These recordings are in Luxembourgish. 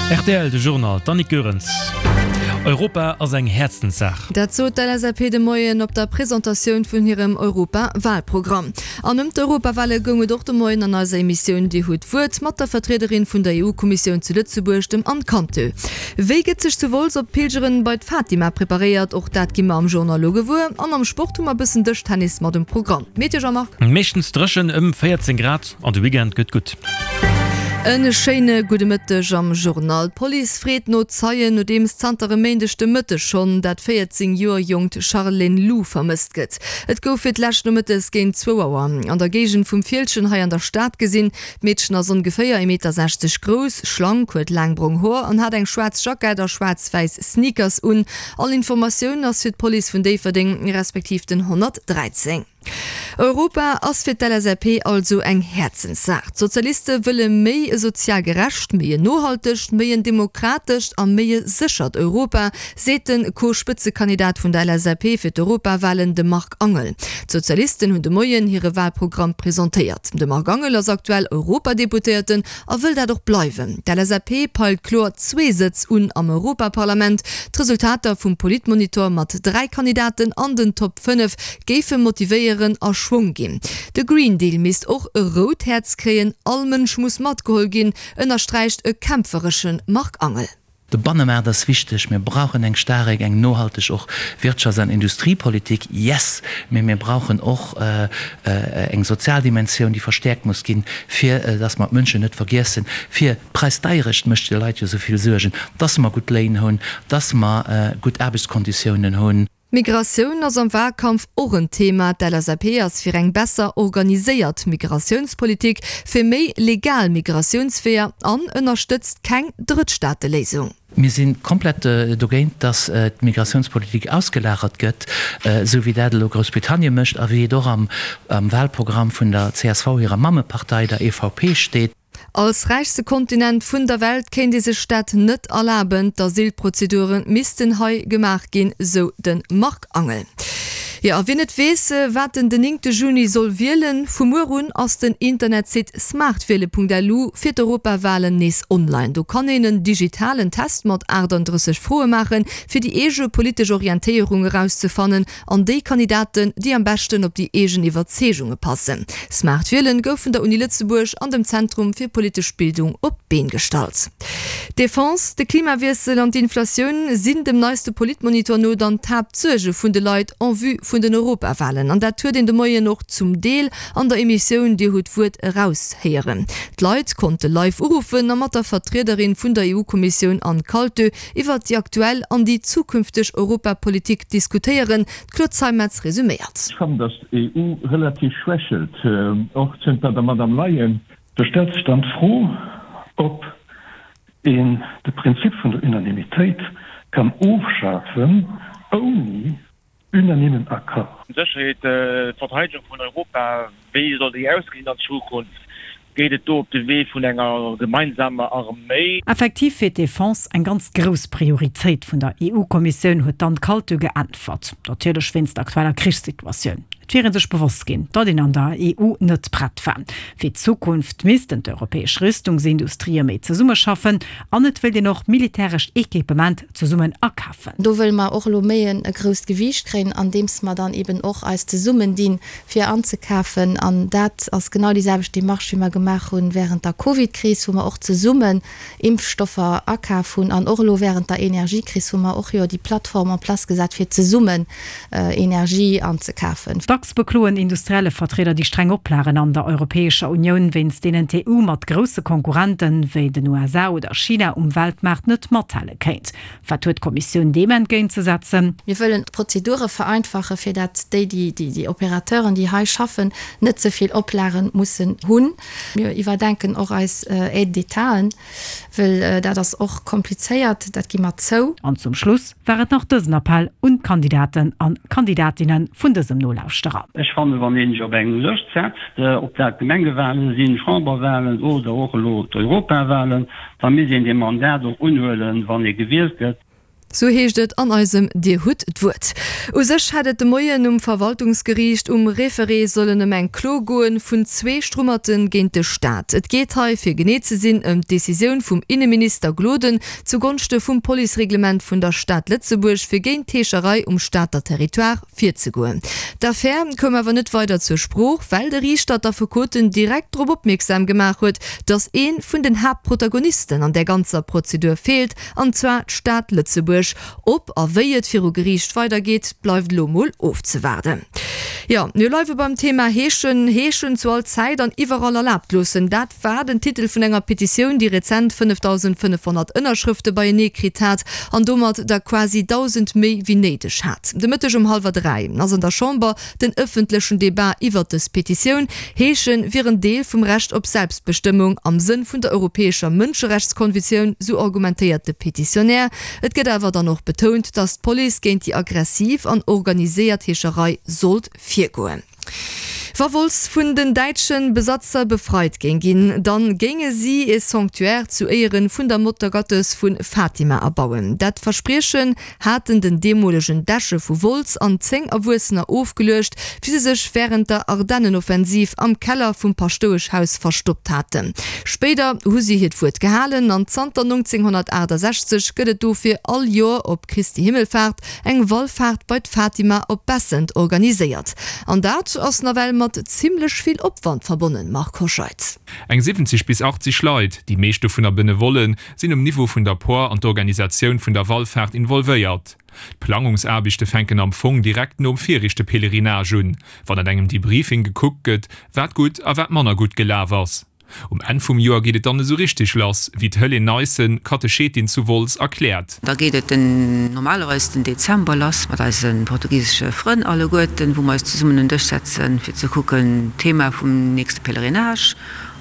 Rtl, De Journal, d'Annick Goerens. Europa ass eng Häerzenssaach. Dat sot d'LSAP de Moien op der Presentatioun vun hirem Europa-Walprogramm. An ëm d'Europawale goung et och de Moien an eiser Emissioun Dir hutt d'Wuert mat der Vertriederin vun der EU-Kommissioun zu Lëtzebuerg, dem Anne Canteu. Wéi gëtt sech zu Wolz op d'Pilgeren bei d'Fatima preparéiert? Och dat gi mer am Journal lo gewuer. An am Sport hu mer bëssen Dëschtennis mat um Programm. Meteo Jean-Marc? Meeschtens dréchen, ëm 14 Grad an de Weekend gëtt gutt. E schéine gudde Mëtteg am Journal. D'Police freet no Zeien, nodeems zanter e Méindeg de Mëtteg schonn dat 14 Joer jonkt Charlène Lou vermësst gëtt. Et gouf fir d'lescht nomëttes géint zwou Auer an der Géigend vum Fieldgen hei an der Stad gesinn. D'Meedchen ass ongeféier ee Meter 60 grouss, schlank, huet laang brong Hoer an hat eng schwaarz Jackett a schwaarz-wäiss Sneakers un. All Informatioun ass fir d'Police vun Déifferdeng respektiv den 113. Europa ass fir d'LSAP also eng Häerzenssaach. D'Sozialiste wëlle méi e sozial gerecht, méi en nohaltegt, méi en demokratescht a méi e séchert Europa, seet de Co-Spëtzekandidat vun der LSAP fir d'Europawalen, de Marc Angel. D'Sozialisten hunn de Moien hire Walprogramm presentéiert. De Marc Angel ass aktuell Europadeputéierten a wëll dat och bleiwen. D'LSAP peilt kloer zwee Sëtz un am Europaparlament. D'Resultater vum Politmonitor mat 3 Kandidaten an den Top 5 géife motivéieren a Schwong ginn. De Green Deal misst och e rout Häerz kréien, all Mënsch muss matgeholl ginn, ënnersträicht e kämpferesche Marc Angel. De Bannemaart ass wichteg. Mir brauchen eng staarek, eng nohalteg och Wirtschafts an Industriepolitik, yes, mee mir brauchen och eng sozial Dimensioun, déi verstäerkt muss ginn, fir dass mer d'Mënschen net vergiessen, fir d'Präisdeierecht mécht de Leit jo esou vill Suergen, dass mer gutt Léin hunn, dass mer gutt Aarbechtskonditiounen hunn. Migratioun ass am Wahlkampf och en Thema. D'LSAP ass fir eng besser organiséiert Migratiounspolitik, fir méi legal Migratiounsweeër an ënnerstëtzt keng Drëttstaateléisung. Mir si komplett dogéint, datt d'Migratiounspolitik ausgelagert gëtt, esou wéi dat elo Groussbritannie mécht a wéi et och am Wahlprogramm vun der csv hirer Mammepartei, der EVP, steet. Als räichste Kontinent vun der Welt kéint ee sech dat net erlaben. D'Asylprozedure missten hei gemaach ginn, sou de Marc Angel. Jo, a wien net weess, wat en den néngte Juni soll wielen, vu muer un ass den Internetsite smartwiele.lu fir d'Europawalen nees online. Do kann een en digitalen Test mat 38 Froe maachen, fir déi eege politesch Orientéierung erauszefannen An déi Kandidaten, déi am beschten op déi eegen Iwwerzeegunge passen. Smart Wielen gouf vun der Uni Lëtzebuerg an dem Zentrum fir politesch Bildung op d'Been gestallt. D'Defense, de Klimawiessel an d'Inflatioun sinn dem neiste Politmonitor no dann d'Haaptsuerge vun de Leit en vue vun den Europawalen. An dat huet een de Moien och zum Deel an der Emissioun Dir hutt d'Wuert eraushéieren. D'Leit konnte live uruffen a mat der Vertriederin vun der EU-Kommissioun Anne Kaltö Iwwert déi aktuell an déi zukünfteg Europapolitik diskutéieren. D'Claude Zeimetz resuméiert. Ech fannen, datt d'EU relativ schwächelt, och zënter der Madame Leyen. Do stellt sech dann d'Fro, ob een de Prinzip vun der Unanimitéit kann ofschafen, ouni Unanimen Accord. Sécherheet, D'Verteidegung vun Europa, wéi soll déi ausgesinn an Zukunft? Geet et do op de Wee vun enger gemeinsamer Arméi? Effektiv wier d'Defense eng ganz grouss Prioritéit vun der EU-Kommissioun, huet d'Anne Kaltö geäntwert. Natierlech wéinst der aktueller Krichssituatioun. Et wier ee sech bewosst ginn, datt een an der EU net prett war. Fir d'Zukunft missten d'europäesch Rüstungsindustrië méi zesummeschaffen an et wéilt een och militärescht Equipement zesummen akafen. Do wëlle mer och elo méi e grousst Gewiicht kréien, andeems mer dann eben och eis zesummendinn, fir anzekafen. An dat ass genau déi selwecht Démarche, wéi mer gemaach hu während der Covidkris, wou mer och zesummen Impfstoffer akaf hunn. An och elo während der Energiekris hu mer och jo déi Plattform en place gesat, fir zesummen Energie anzekafen. Dacks bekloen Industriellevertrieder déi streng Oplagen an der Europäescher Unioun, wéinst deenen d'EU mat grousse Konkurrente wéi den USA oder China um Weltmaart net mathale kéint. Wat huet d'Kommissioun deem entgéint ze setzen? Mir wëllen d'Prozedure vereinfachen, fir dat déi, déi Opérateuren, déi hei schaffen, net ze vill Oplagen mussen hunn. Mir iwwerdenken och eis Aides d'Étaten, well dat ass och komplizéiert, dat gi mer zou. An zum Schluss war et nach dësen Appell un d'Kandidaten an Kandidatinne vun dësem Nolauschterer. Ech fannen, wann een sech op eng Lëscht setzt, ob dat Gemengewahlen sinn, Chamberwahlen oder och elo d'Europawahlen, da misst een dee Mandat och unhuelen, wann ee gewielt gëtt. Sou heescht et an eisem Dir hutt d'Wuert. U sech hätt et de Moien um Verwaltungsgeriicht um Référé sollen ëm eng Klo goen vun zwee Strummerte géint de Staat. Et geet hei, fir genee ze sinn, ëm d'Decisioun vum Inneminister Gloden zugonschte vum Policereglement vun der Stad Lëtzebuerg, fir géint d'Heescherei um Stater Territoire virzegoen. D'Affär koum awer net weider zur Sprooch, well de Riichter d'Affekoten direkt drop opmierksam gemaach huet, datt ee vun den Haaptprotagonisten an där ganzer Prozedur feelt, An zwar d'Stad Lëtzebuerg. Ob a wéi et viru Geriicht weidergeet, bleift elo mol ofzewaarden. Jo, mir bleiwe beim Thema Heeschen. Heeschen zu all Zäit an iwwerall erlaabt loossen, dat war den Titel vun enger Petitioun, déi rezent 5.500 Ënnerschrëfte beienee kritt hat an domat der quasi 1.000 méi wéi néideg hat. De Mëtteg um hallwer 3 ass an der Chamber Den ëffentlechen Debat iwwert dës Petitioun, Heesche wier en Deel vum Recht op Selbstbestëmmung am Sënn vun der europäescher Mënscherechtskonvitioun, sou argumentéiert de Petitionär. Et gëtt awer dann och betount, datt d'Police géint déi aggressiv an organiséiert Heescherei sollt virgoen. Wa Wolz vun den däitsche Besatzer befreit géing ginn, dann géinge si e Sanctuaire zu Éieren vun der Muttergottes vu Fatima erbauen. Dat Verspriechen haten den deemolegen Deche vu Wolz an 10 Erwuessener ofgeluecht, wéi se sech wärend der Ardennenoffensiv am Keller vum Paschtoueschhaus verstoppt haten. Spéider hu si hiert Wuert gehalen an zanter 1968 gëtt et dofir all Joer op Christi Himmelfaart eng Wallfaart bei d'Fatima op Bessent organiséiert. An dat ass nawell mat zimmlech vill Opwand verbonnen, Marc Hoscheid. Eng 70 bis 80 Leit, déi meescht dovunner Benevollen, sinn um Niveau vun der Por an d'Organisatioun vun der Wallfaart involvéiert. D'Plangungsaarbechte fänken am Fong direkt nom viregte Pèlerinage un, wann an engem Debriefing gekuckt gëtt, wat gutt a wat manner gutt gelaf ass. Um Enn vum Joer geet et dann esou richteg lass, wéi d'Helene Neissen, Katechetin zu Wolz, erkläert. Da geet et den normalerweis den Dezember lass mat eise portugisesche Frënn alleguerten, wou mer eis zesummen un Dësch setzen, fir ze kucken, Thema vum nächste Pèlerinage.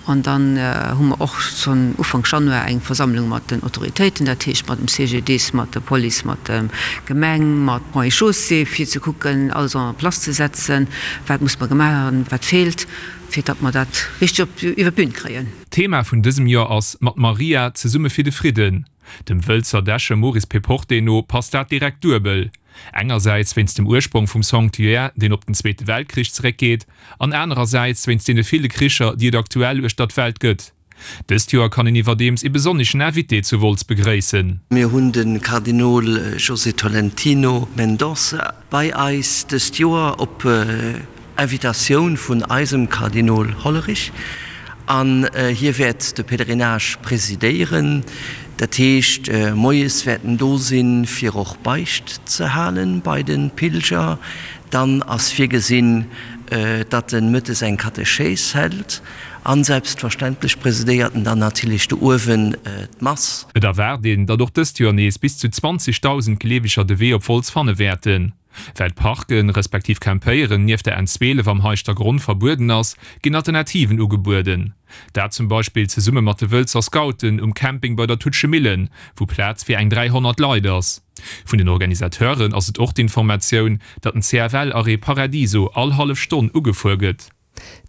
An dann hu mer och schonn Ufank Januar eng Versammlung mat den Autoritéiten, dat heescht mat dem CGDIS, mat der Police, mat der Gemeng, mat Ponts et Chaussées, fir ze kucken, alles en place ze setzen, wat muss mer gemaach hunn, wat feelt, fir datt mer dat richteg op iwwer d'Bün kréien. D'Thema vun dësem Joer ass Mat Maria zesumme fir de Fridden. Dem Wëlzer Deche Maurice Péporté no passt dat direkt duebel. Engersäits wéinst dem Ursprong vum Sanctuaire, deen op den Zweete Weltkrich zeréckgeet, an anerersäits wéinst deene ville Kricher, déi et aktuell uechter d'Welt gëtt. Dëst Joer kann een iwwerdeems ee besonneschen Invité zu Wolz begréissen. Mir hunn de Kardinol José Tolentino Mendonça bei eis dëst Joer op Invitatioun vun eisem Kardinol Hollerich an hie wäert de Pèlerinage presidéieren. Dat heescht, moies wäert en do sinn, fir och Beicht ze halen bei de Pilger. Dann ass virgesinn, datt en mëttes eng Katechés hält an selbstverständlech presidéiert en dann natierlech do uewen d'Mass. Et erwaart een, datt och dëst Joer nees bis zu 20.000 Gleeweger de Wee op Wolz fanne wäerten. Well d'Parken, respektiv Campéieren nieft der N12 am Heischtergronn verbueden ass, ginn Alternativen ugebueden. Dat zum Beispill zesumme mat de Wëlzer Scouten um Camping bei der Tutschemillen, wou Plaz fir eng 300 Leit ass. Vun den Organisateuren ass et och d'Informatioun, datt den CFL-Arrêt Paradiso all hallef Stonn ugefuer gëtt.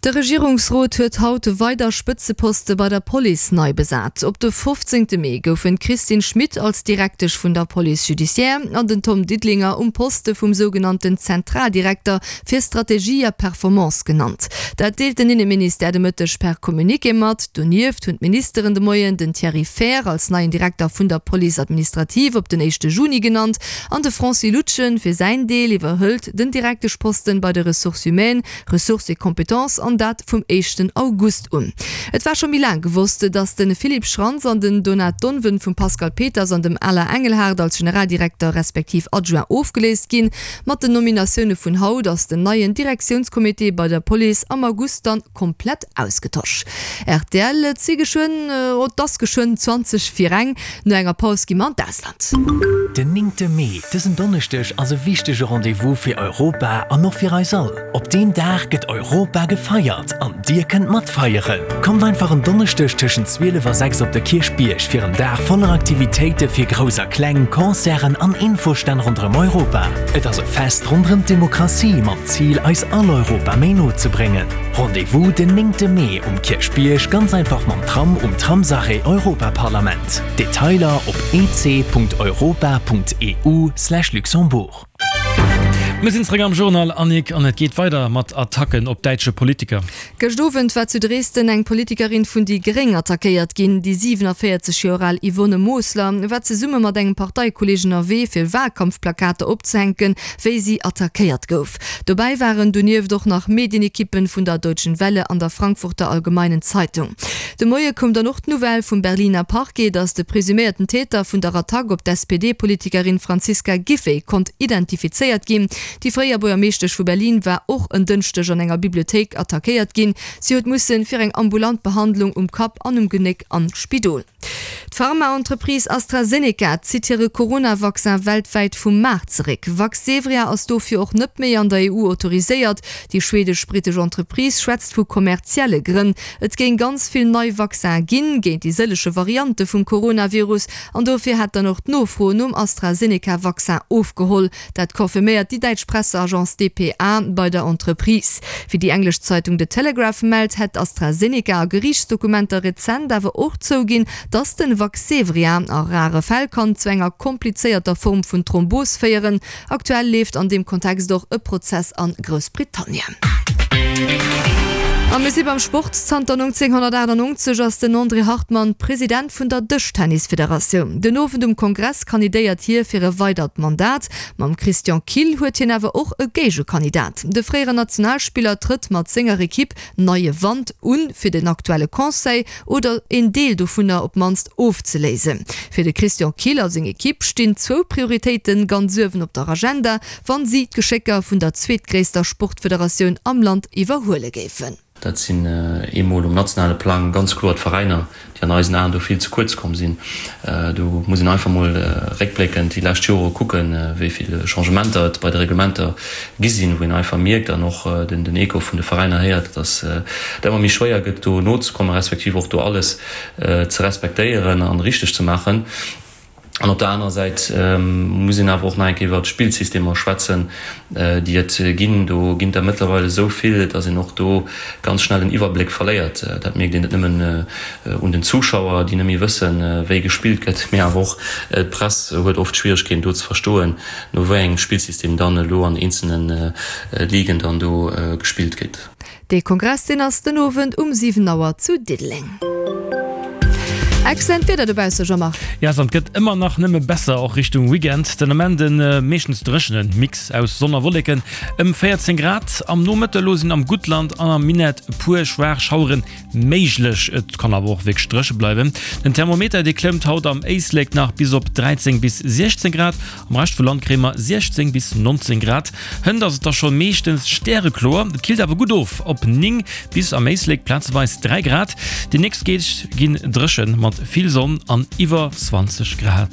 De Regierungsrot huet haut weider Spëtzeposte bei der Police nei besat. Op de 15 Mee goufen d'Christine Schmit als Direktesch vun der Police judiciaire an den Tom Didlinger um Poste vum sougenannten Zentraldirekter fir Strategie a Performance genannt. Dat deelt den Inneministère de Mëtteg per Communiqué mat. Donieft hunn d'Ministeren de Moien den Thierry Fehr als neien Direkter vun der Police administrative op den éischte Juni genannt an de Francis Lutgen fir säin Deel iwwerhëlt den Direkteschposten bei de Ressources humaines Ressources et compétences, an dat vum éischten August un. Et war scho méi laang gewosst, datt de Philippe Schrantz an den Donat Donven vum Pascal Peters an dem Alain Engelhardt als Generaldirekter respektiv Adjoint ofgeléist ginn. Mat den Nominatioune vun haut ass den neien Direktiounscomité bei der Police am August dann komplett ausgetosch. Rtl, Et si geschwënn, oh et ass geschwënn 20 vir eng. No enger Paus gi mer an d'Ausland. Den néngte Mee, dësen Donneschdeg, ass e wichtege Rendez-vous fir Europa an och fir eis all. Op deem Dag gëtt Europa. Europa gefeiert an dir kënnt matfeieren! Kommt einfach en Donneschdeg tëschent 12 a 6 op de Kierchbierg fir en Dag voller Aktivitéite fir Grouss a Kleng, Concerten an Infostänn ronderëm Europa. Et ass e Fest ronderëm d'Demokratie mam Zil eis all Europa méi no ze bréngen. Rendez-vous den 9 Mee um Kierchbierg, ganz einfach mam Tram um Tramsarrêt Europaparlament. Detailer op ec.europa.eu/luxembourg. Mir sinn zeréck am Journal, Annick, an et geet weider mat Attacken op däitsche Politiker. Gëscht Owend war zu Dresden eng Politikerin vun déi Gréng attackéiert ginn. Déi 47 Joer al Yvonne Mosler war zesumme mat engem Parteikolleeg ënnerwee fir Walkampfplakater opzehänken, wéi si attackéiert gouf. Dobäi waren donieft och nach Medienekippen vun der Deutschen Welle an der Frankfurter Allgemeinen Zeitung. De Moie koum dann och d'Nouvelle vum Berliner Parquet, datt de presuméierten Täter vun der Attack op d'SPD-Politikerin Franziska Giffey konnt identifizéiert ginn. Déi fréier Buergermeeschtesch vu Berlin war och en Dënschdeg an enger Bibliothéik attackéiert ginn. Si huet musse fir eng ambulant Behandlung um Kapp an um Genéck an d'Spidol. D'Pharmaentreprise AstraZeneca zitt hire Corona-Vaccin weltwäit vum Maart zeréck. Vaxzevria ass dofir och net méi an der EU autoriséiert. Déi schweedesch-brittesch Entreprise schwätzt vu kommerzielle Grënn. Et géing ganz vill nei Vaccine ginn, géint déi sëllege Variante vum Coronavirus, an dofir hätt dann och d'Nofro nom AstraZeneca-Vaccin ofgeholl. Dat confirméiert déi däitsch Presseagence dpa bei der Entreprise. Wéi déi englesch Zeitung The Telegraph mellt, hätt AstraZeneca a Geriichtsdokumenter rezent awer och zouginn, datt den Vaxzevria a rare Fäll kann zu enger komplizéierter Form vun Thrombos féieren. Aktuell leeft an deem Kontext och e Prozess a Groussbritannien. A mir si beim Sport. Zanter 1998 ass den André Hartmann President vun der Dëschtennisfederatioun. Den Owend um Kongress kandidéiert hie fir e weidert Mandat. Mam Christian Kill huet hien awer och e Géigekandidat. De fréieren Nationalspiller trëtt mat senger Ekipp Neie Wand un, fir den aktuelle Conseil, oder een Deel dovunner op d'mannst, ofzeléisen. Fir de Christian Kill a seng Ekipp stinn zwou Prioritéite ganz uewen op der Agenda, wann si d'Geschécker vun der zweetgréisster Sportfederatioun am Land iwwerhuele géifen. Dat sinn eemol um nationale Plang ganz kloer d'Veräiner, déi an eisen Aen do vill ze kuerz komm sinn. Do muss een einfach mol réckbléckend déi lescht Jore kucken, wéi vill Changementer et bei de Reglementer gi sinn, wou een einfach mierkt an och den Echo vun de Veräiner héiert, datt et ëmmer méi schwéier gëtt, do nozekommen, respektiv och do alles ze respektéieren an richteg ze maachen. An op der anerer Säit muss een awer och nach eng Kéier iwwert d'Spillsystemer schwätzen, déi et ginn. Do ginn der mëttlerweil esou vill, datt een och do ganz schnell den Iwwerbléck verléiert. Dat mierkt een net nëmmen un den Zuschauer, déi net méi wëssen, wéi gespillt gëtt, mee awer och d'Press huet oft Schwieregkeeten do ze verstoen, no wéi engem Spillsystem dann elo an eenzelne Ligen dann do gespillt gëtt. Dee Kongress deen ass den Owend um 7 Auer zu Diddeleng. Excellent Wieder dobausse Jean-Marc. Yes, an et gëtt ëmmer nach nëmme besser, och Richtung Weekend. Den Ament e meeschtens dréchene Mix aus Sonn a Wolleken, ëm 14 Grad. Am Nomëtte elo sinn am Guttland an am Minett e puer schwaach Schauere méiglech, et kann awer och wierklech dréche bleiwen. Den Thermometer dee klëmmt haut am Éislek nach bis op 13 bis 16 Grad, Am Rescht vum Land kréie mer 16 bis 19 Grad. Hënt ass et da scho meeschtens stärekloer, et killt awer gutt of op 9 bis am Éislek plazeweis 3 Grad. Déi nächst Deeg ginn dréchen mat vill Sonn an iwwer 20 Grad.